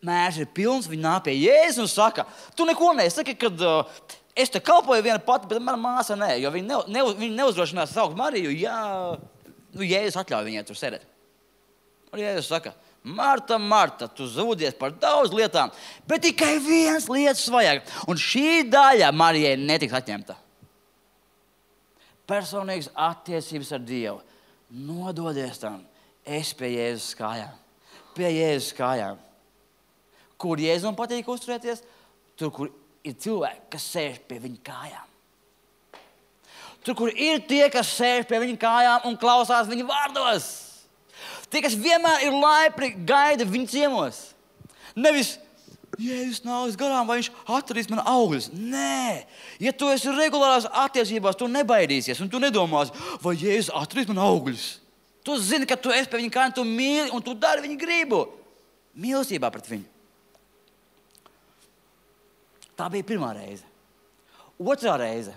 mērs ir pilns, viņa nāk pie Jēzus un saka, tu neko nesaki, kad uh, es te kalpoju viena pati, bet mana māsa nē, jo viņa, ne, ne, viņa neuzdrošinās saukt Mariju, ja nu, Jēzus atļauj viņai tur sēdēt. Un Jēzus saka, Marta, Marta, tu zūdies par daudz lietām, bet tikai viens lietas vajag. Un šī daļa Marijai netiks atņemta. Personīgas attiecības ar Dievu. Nododies tam. Es pie Jēzus kājām. Pie Jēzus kājām. Kur Jēzum patīk uzturēties? Tur, kur ir cilvēki, kas sēž pie viņa kājām. Tur, kur ir tie, kas sēž pie viņa kājām un klausās viņa vārdos. Tie, kas vienmēr ir laipni, gaida viņa ciemos. Nevis, Jēzus nāks garām, vai viņš atradīs man augļus. Nē, ja tu esi regulārās attiecībās, tu nebaidīsies un tu nedomās, vai Jēzus atradīs man augļus. Tu zini, ka tu esi pie viņa kājām, tu mīli un tu dari viņa gribu. Mīlestībā pret viņu. Tā bija pirmā reize. Otrā reize.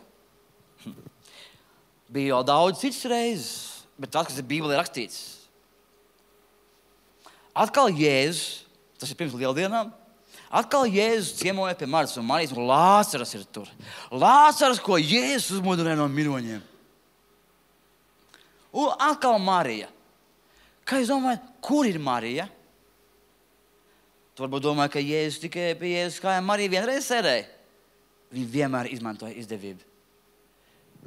Bija jau daudz citas reizes, bet tas, kas ir Bībelē rakstīts. Atkal Jēzus, tas ir pirms lieldienām, atkal Jēzus ciemoja pie Martas un Marijas, un Lācaras ir tur. Lācaras, ko Jēzus uzmodināja no miroņiem. Un atkal Marija. Kā jūs domājat, kur ir Marija? Tu varbūt domā, ka Jēzus tikai pie Jēzus kājām Marija vienreiz sēdēja. Viņa vienmēr izmantoja izdevību.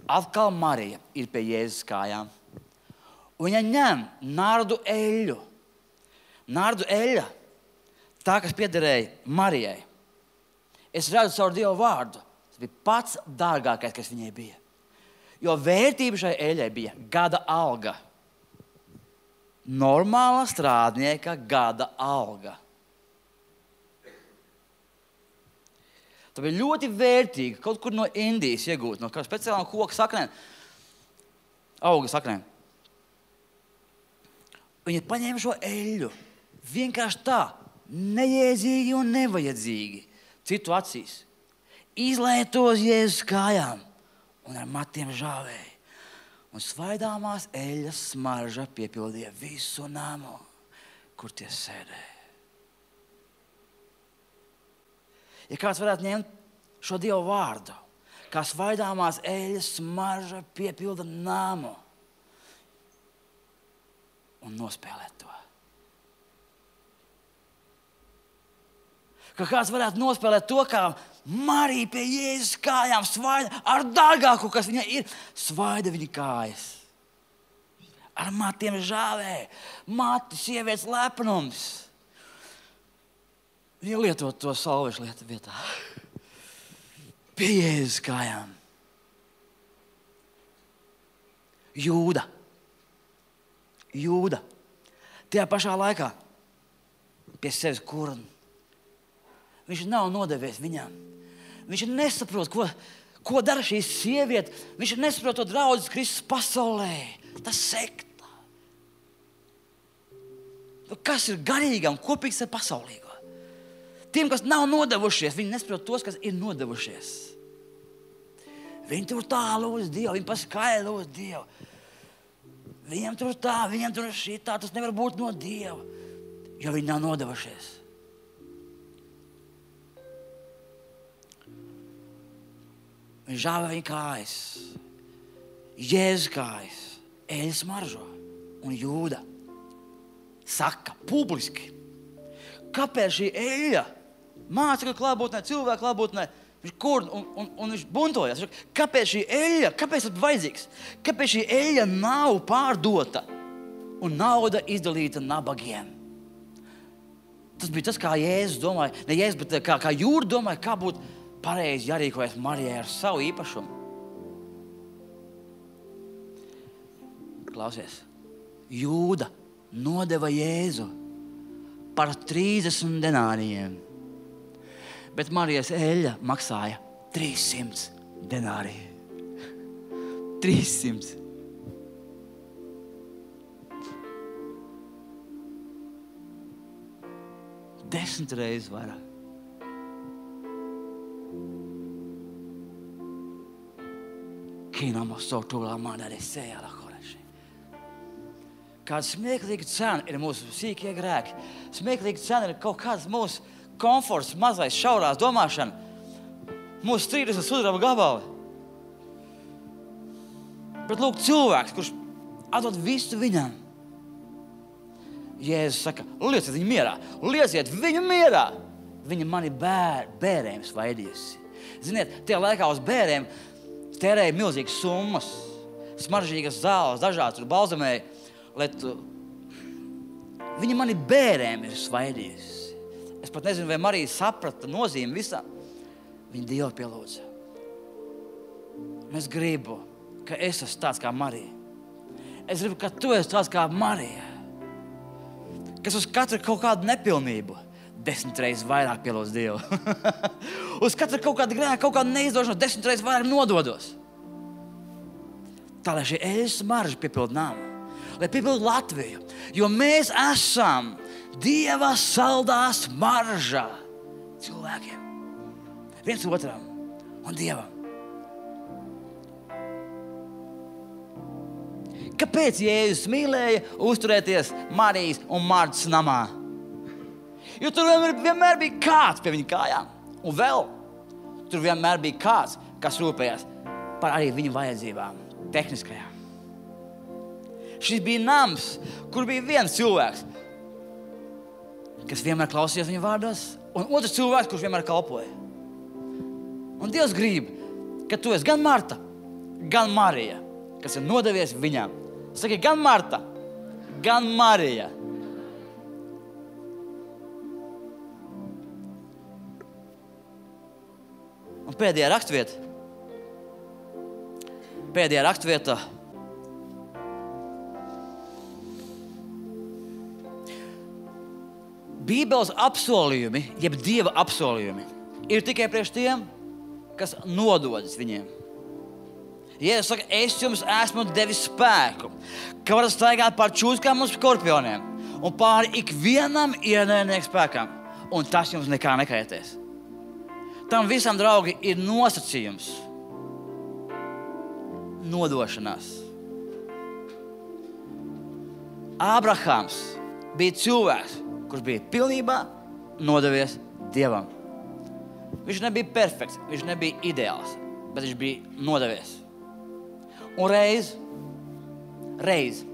Atkal Marija ir pie Jēzus kājām. Un viņa ņem nardu eļļu. Nardu eļļa, tā, kas piederēja Marijai. Es redzu caur Dievu vārdu. Tas bija pats dārgākais, kas viņai bija. Jo vērtība šai eļļai bija gada alga. Normāla strādnieka gada alga. Tā bija ļoti vērtīga, kaut kur no Indijas iegūt, no kāda speciālām koka saknēm, auga saknēm. Viņi paņēma šo eļļu, vienkārši tā, nejēdzīgi un nevajadzīgi, citu acīs. Izlēja to uz Jēzus kājām un ar matiem žāvēja. Un svaidāmās eļļas smarža piepildīja visu namu, kur tie sēdēja. Ja kāds varētu ņemt šo Dievu vārdu, kā svaidāmās eļļas smarža piepilda namu un nospēlēt to. Ka kāds varētu nospēlēt to, kā Marija pie Jēzus kājām svaida ar dārgāku, kas viņai ir, svaida viņa kājas. Ar matiem žāvē, mati sievietes lepnums. Viņa lietot to salvešu lietu vietā. Pie Jēzus kājām. Jūda. Jūda. Tajā pašā laikā pie sevis kurn. Viņš nav nodevies viņām. Viņš nesaprot, ko, ko dara šī sieviete. Viņš nesaprot to draudzes Kristus pasaulē. Tas sekta. Kas ir garīgam, kopīgs ar pasaulīgo? Tiem, kas nav nodevušies, viņi nesaprot tos, kas ir nodevušies. Viņi tur tā lūdz Dievu, viņi paskaidro lūdz Dievu. Viņam tur tā, viņam tur šitā, tas nevar būt no Dieva, jo viņi nav nodevušies. Viņš žāvē viņa kājas, Jēzus kājas, eļļas smaržo un Jūda saka publiski, kāpēc šī eļļa mācekļu klātbūtnē, cilvēku klātbūtnē, viņš kur un, un, un viņš buntojas. Kāpēc šī eļļa, kāpēc tas vajadzīgs? Kāpēc šī eļļa nav pārdota un nauda izdalīta nabagiem? Tas bija tas, kā Jēzus domāja, ne Jēzus, bet kā, kā Jūda domāja, kā būtu pareizi jārīkojas Marijai ar savu īpašumu. Klausies, Jūda nodeva Jēzu par trīsdesmit denārijiem. Bet Marijas eļļa maksāja trīssimts denāriju. trīssimts. Desmit reizes vairāk. Kīnām sautulā man arī sējā la koreši. Kāda smieklīga cena ir mūsu sīkie grēki. Smieklīga cena ir kaut kāds mūsu komforts, mazais, šaurās domāšana. Mūsu strīdas ir sudraba gabali. Bet lūk, cilvēks, kurš atdod visu viņam. Jēzus saka, lieciet viņu mierā, lieciet viņu mierā. Viņa mani bēr, bērēm svaidījusi. Ziniet, tajā laikā uz bērēm tērēja milzīgas summas, smaržīgas zāles, dažādas tur balzamēja, lai tu... Viņa mani bērēm ir svaidījusi. Es pat nezinu, vai Marija saprata nozīmi visā. Viņa Dievu pielūdza. Un es gribu, ka es esmu tāds kā Marija. Es gribu, ka tu esi tāds kā Marija. Kas uz katru kaut kādu nepilnību desmit reizes vairāk pielūdz Dievu. Uz katru kaut kādu grēku, kaut kādu neizdošanos desmit reizes vairāk nododos. Tā, lai šī eļas smarža piepildu namu. Lai piepildu Latviju. Jo mēs esam Dieva saldā smarža cilvēkiem. Viens otram un Dievam. Kāpēc Jēzus mīlēja uzturēties Marijas un Martas namā? Jo tur vienmēr, vienmēr bija kāds pie viņa kājām. Un vēl tur vienmēr bija kāds, kas rūpējās par arī viņa vajadzībām, tehniskajām. Šis bija nams, kur bija viens cilvēks, kas vienmēr klausījās viņa vārdos, un otrs cilvēks, kurš vienmēr kalpoja. Un Dievs grib, ka tu esi gan Marta, gan Marija, kas ir nodevies viņam. Saki, gan Marta, gan Marija. Un pēdējā rakstvieta. Pēdējā rakstvieta. Bībeles apsolījumi, jeb Dieva apsolījumi, ir tikai priekš tiem, kas nododas viņiem. Jēzus saka, es jums esmu devis spēku, ka varat staigāt pār čūskām un skorpioniem un pāri ikvienam ienaidnieku spēkam, un tas jums nekā nekaitēs. Tam visam, draugi, ir nosacījums. Nodošanās. Ābrahams bija cilvēks, kurš bija pilnībā nodevies Dievam. Viņš nebija perfekts, viņš nebija ideāls, bet viņš bija nodevies. Un reiz, reiz,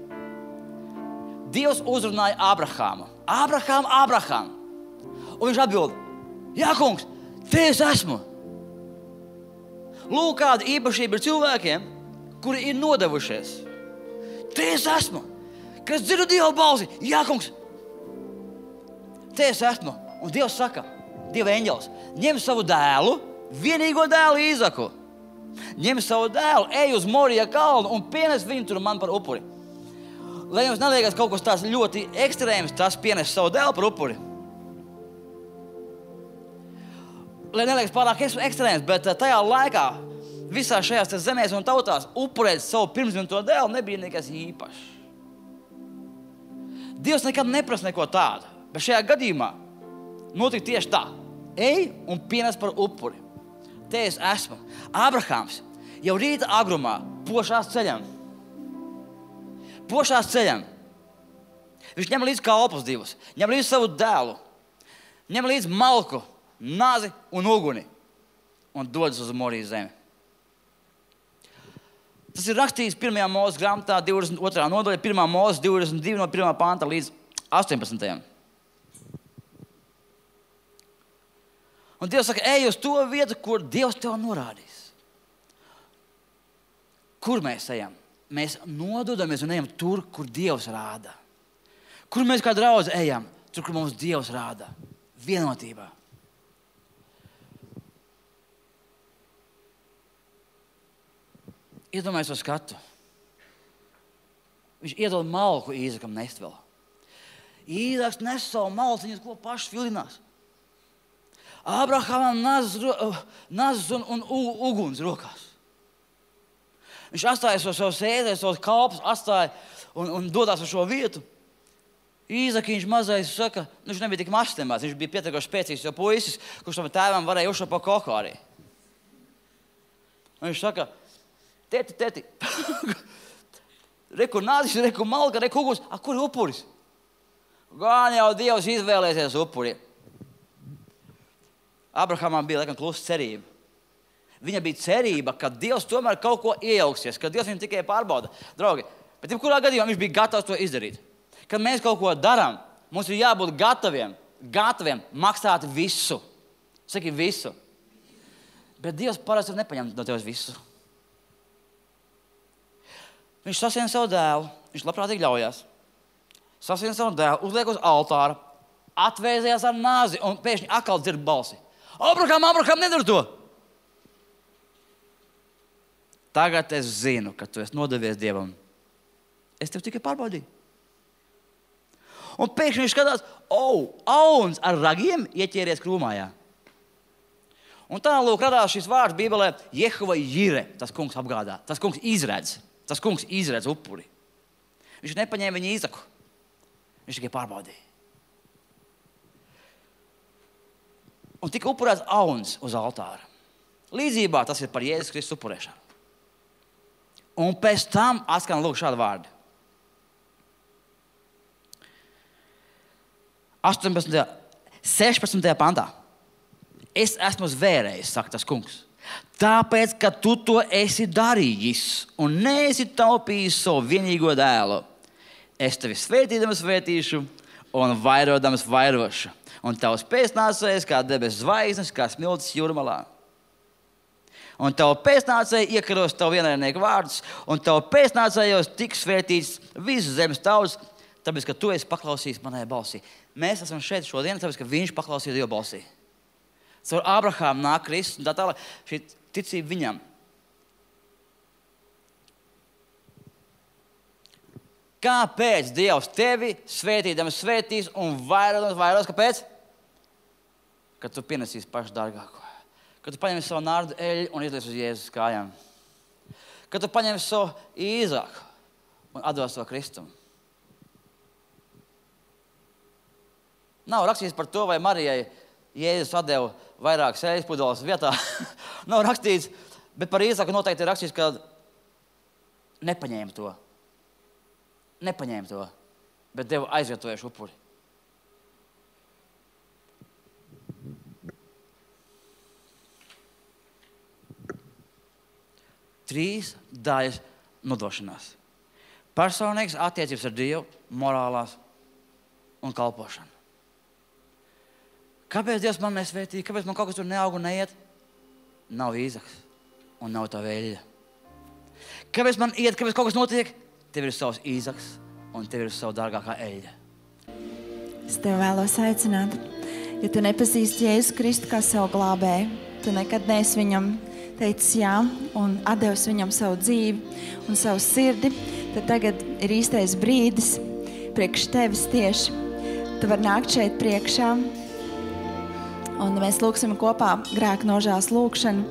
Dievs uzrunāja Ābrahāmu. Ābrahām, Ābrahām. Un viņš atbild, jā, kungs, te es esmu. Lūk, kāda īpašība ir cilvēkiem, kuri ir nodevušies. Te es esmu. Kad es dzirdu Dieva balsi, jā, kungs, te es esmu. Un Dievs saka, Dieva eņģelis, ņem savu dēlu, vienīgo dēlu Īzaku. Ņem savu dēlu, ej uz Morija kalnu un pienes viņu tur man par upuri. Lai jums neliekas kaut kas tāds ļoti ekstrēms, tas pienes savu dēlu par upuri. Lai neliekas pārāk ekstrēms, bet tajā laikā visā šajās zemēs un tautās upurēt savu pirmsdzimto dēlu nebija nekas īpašs. Dievs nekad neprasa neko tādu, bet šajā gadījumā notika tieši tā. Ej un pienes par upuri. Te es esmu. Ābrahāms jau rīta agrumā pošās ceļam. Pošās ceļam. Viņš ņem līdz kalpus divus, ņem līdz savu dēlu, ņem līdz malku, nazi un uguni un dodas uz Morijas zemi. Tas ir rakstīts pirmajā Mūzes grāmatā, divdesmit otrā nodaļa, pirmā Mūzes divdesmit divi no pirmā panta līdz astoņpadsmitajam. Un Dievs saka, ej uz to vietu, kur Dievs tev norādīs. Kur mēs ejam? Mēs nododamies un ejam tur, kur Dievs rāda. Kur mēs kā draudzi ejam? Tur, kur mums Dievs rāda. Vienotībā. Iedomājies to skatu. Viņš iedod malku Īzakam nest vēl. Īzaks nes savu malciņu, ko pašs vilinās. Ābrahamam nazas, nazas un, un uguns rokās. Viņš atstāja savu, savu sēdēju, savus kalpus, atstāja un, un dodās uz šo vietu. Īzakiņš mazais saka, nu, viņš nebija tik mazs temās, viņš bija pietiekoši spēcīgs, jo puisis, kurš tam tēvam varēja uzšaut pa koku arī. Un viņš saka, teti, teti, reku nazis, reku malka, reku uguns, a, kur ir upuris? Gan jau Dievs izvēlēsies upuri. Abrahamam bija, laikam, klusa cerība. Viņa bija cerība, ka Dievs tomēr kaut ko iejauksies, ka Dievs viņu tikai pārbauda. Draugi, bet jebkurā gadījumā viņš bija gatavs to izdarīt. Kad mēs kaut ko darām, mums ir jābūt gataviem, gataviem maksāt visu. Saki visu. Bet Dievs parasti nepaņem no tevis visu. Viņš sasien savu dēlu, viņš labprātīgi ļaujās. Sasien savu dēlu, uzliek uz altāra, atvēzījās ar nāzi un pēkšņi atkal dzird balsi. Abraham, Abraham, nedara to! Tagad es zinu, ka tu esi nodevies Dievam. Es tev tikai pārbaudīju. Un pēkšņi viņš skatās, oh, auns ar ragiem ieķēries krūmājā. Un tā, lūk, radās šis vārds Bībelē, Jehova Jire, tas kungs apgādā, tas kungs izredz, tas kungs izredz upuri. Viņš nepaņēma viņa Īzaku, viņš tikai pārbaudīja. Un tika upurēts auns uz altāra. Līdzībā tas ir par Jēzus Kristus upurēšanu. Un pēc tam atskan lūk šādi vārdi. astoņpadsmitajā, sešpadsmitajā pantā. Es esmu zvērējis, saka tas kungs. Tāpēc, ka tu to esi darījis un neesi taupījis savu vienīgo dēlu. Es tevi svētīdams svētīšu un vairodams vairošu. Un tavs pēcnācējs kā debes zvaigznes, kā smiltis jūrmalā. Un tavu pēcnācēju iekaros tavu vienaidnieku vārdus, un tavu pēcnācējos tiks svētīts visu zemes tautas, tāpēc, ka tu esi paklausījis manai balsī. Mēs esam šeit šodien, tāpēc, ka viņš paklausīja Dieva balsī. Caur Abrahāmu nāk Kristus, un tā tālāk šī ticība viņam. Kāpēc Dievs tevi svētīdams svētīs un vairodams vairos? Kāpēc? Kad tu pienesīsi pašu dārgāko. Kad tu paņemsi savu nārdu eļu un izlies uz Jēzus kājām. Kad tu paņemsi savu Īzaku un atdos to Kristum. Nav rakstīts par to, vai Marijai Jēzus atdeva vairākas eļas pudeles vietā. Nav rakstīts, bet par Īzaku noteikti ir rakstīts, ka nepaņēma to. Nepaņēma to, bet deva aizvietojuši upuri. Trīs daļas nodošanās. Personīgas attiecības ar Dievu, morālās un kalpošana. Kāpēc Dievs man nesvētīja? Kāpēc man kaut kas tur neaug un neiet? Nav Īzaks un nav tā vēļa. Kāpēc man iet, kāpēc kaut kas notiek? Tev ir savs Īzaks un tev ir savu dārgākā eļļa. Es tev vēlos aicināt, ja tu nepazīsti Jēzu Kristu kā savu glābēju, tu nekad neesi viņam teicis jā un atdevis viņam savu dzīvi un savu sirdi, tad tagad ir īstais brīdis priekš tevis tieši. Tu vari nākt šeit priekšā un mēs lūksim kopā grēka nožēlas lūkšanu.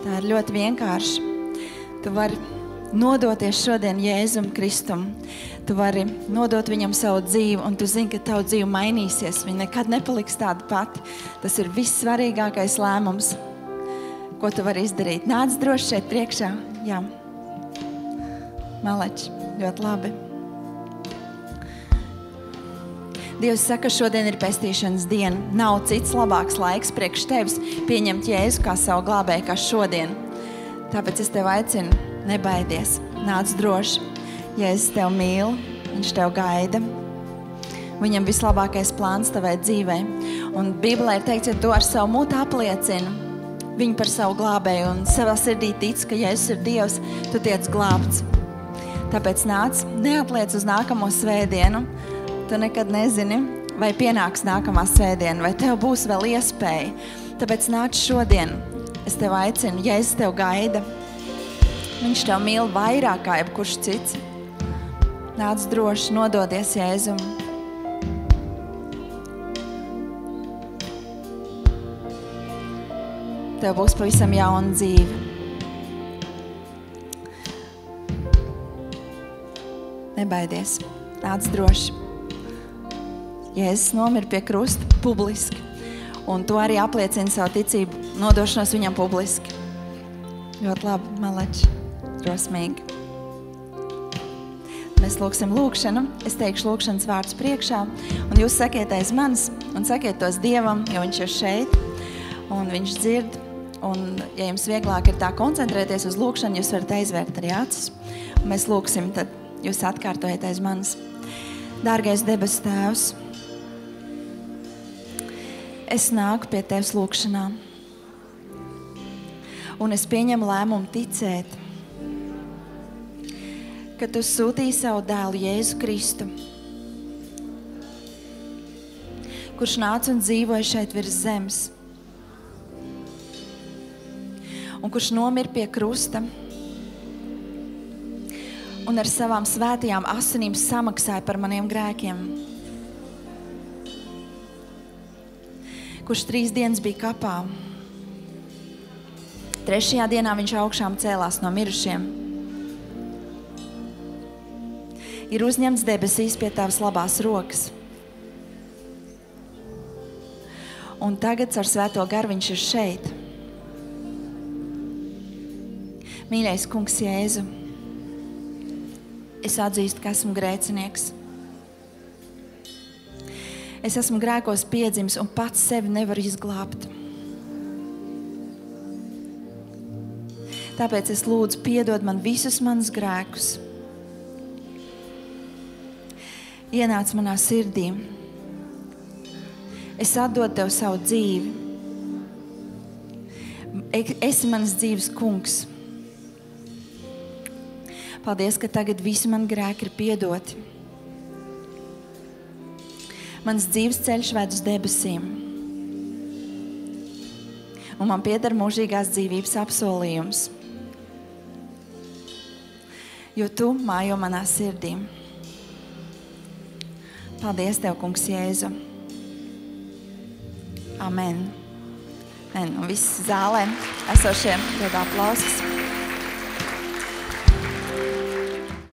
Tā ir ļoti vienkārši. Tu vari nodoties šodien Jēzum Kristum. Tu vari nodot viņam savu dzīvi un tu zini, ka tavu dzīvi mainīsies. Viņa nekad nepaliks tāda pati. Tas ir vissvarīgākais lēmums, ko tu vari izdarīt. Nāc droši šeit priekšā. Jā. Maleči, ļoti labi. Dievs saka, šodien ir pestīšanas diena. Nav cits labāks laiks priekš tevis pieņemt Jēzu kā savu glābēju kā šodien. Tāpēc es tev aicinu, nebaidies. Nāc droši. Jēzus tev mīl, viņš tev gaida. Viņam vislabākais plāns tavai dzīvei. Un Bībelē ir teikts, ja tu ar savu mutu apliecini viņu par savu glābēju un savā sirdī tic, ka Jēzus ir Dievs, tu tiec glābts. Tāpēc nāc, neatliec uz nākamo svētdienu. Tu nekad nezini, vai pienāks nākamā svētdiena, vai tev būs vēl iespēja. Tāpēc nāc šodien. Es tev aicinu, Jēzus tev gaida. Viņš tev mīl vairāk kā jebkurš cits. Nāc droši, nododies Jēzum. Tev būs pavisam jauna dzīve. Nebaidies. Nāc droši. Jēzus nomira pie krusta publiski. Un tu arī apliecini savu ticību, nodošanos viņam publiski. Ļoti labi, maleči. Drosmīgi. Mēs lūksim lūkšanu. Es teikšu lūkšanas vārdus priekšā. Un jūs sakiet aiz manis un sakiet tos Dievam, jo viņš ir šeit. Un viņš dzird Un, ja jums vieglāk ir tā koncentrēties uz lūkšanu, jūs varat aizvērt arī acis. Un mēs lūksim, tad jūs atkārtojat aiz manis. Dārgais debesu Tēvs, es nāku pie Tevis lūkšanā. Un es pieņemu lēmumu ticēt, ka Tu sūtīji savu dēlu Jēzu Kristu, kurš nāca un dzīvoja šeit virs zemes, un kurš nomira pie krusta un ar savām svētajām asinīm samaksāja par maniem grēkiem, kurš trīs dienas bija kapā. Trešajā dienā viņš augšām cēlās no mirušiem. Ir uzņemts debesīs pie Tavas labās rokas. Un tagad ar Svēto garu viņš ir šeit. Mīļais Kungs Jēzu, es atzīstu, ka esmu grēcinieks. Es esmu grēkos piedzimis un pats sevi nevaru izglābt. Tāpēc es lūdzu piedod man visus manus grēkus. Ienāc manā sirdī. Es atdodu Tev savu dzīvi. Esi manas dzīves kungs. Paldies, ka tagad visi mani grēki ir piedoti. Mans dzīves ceļš ved uz debesīm. Un man pieder mūžīgās dzīvības apsolījums. Jo Tu mājo manā sirdī. Paldies Tev, Kungs Jēzu. Amen. Amen. Un visi zālē esošie dod aplausus.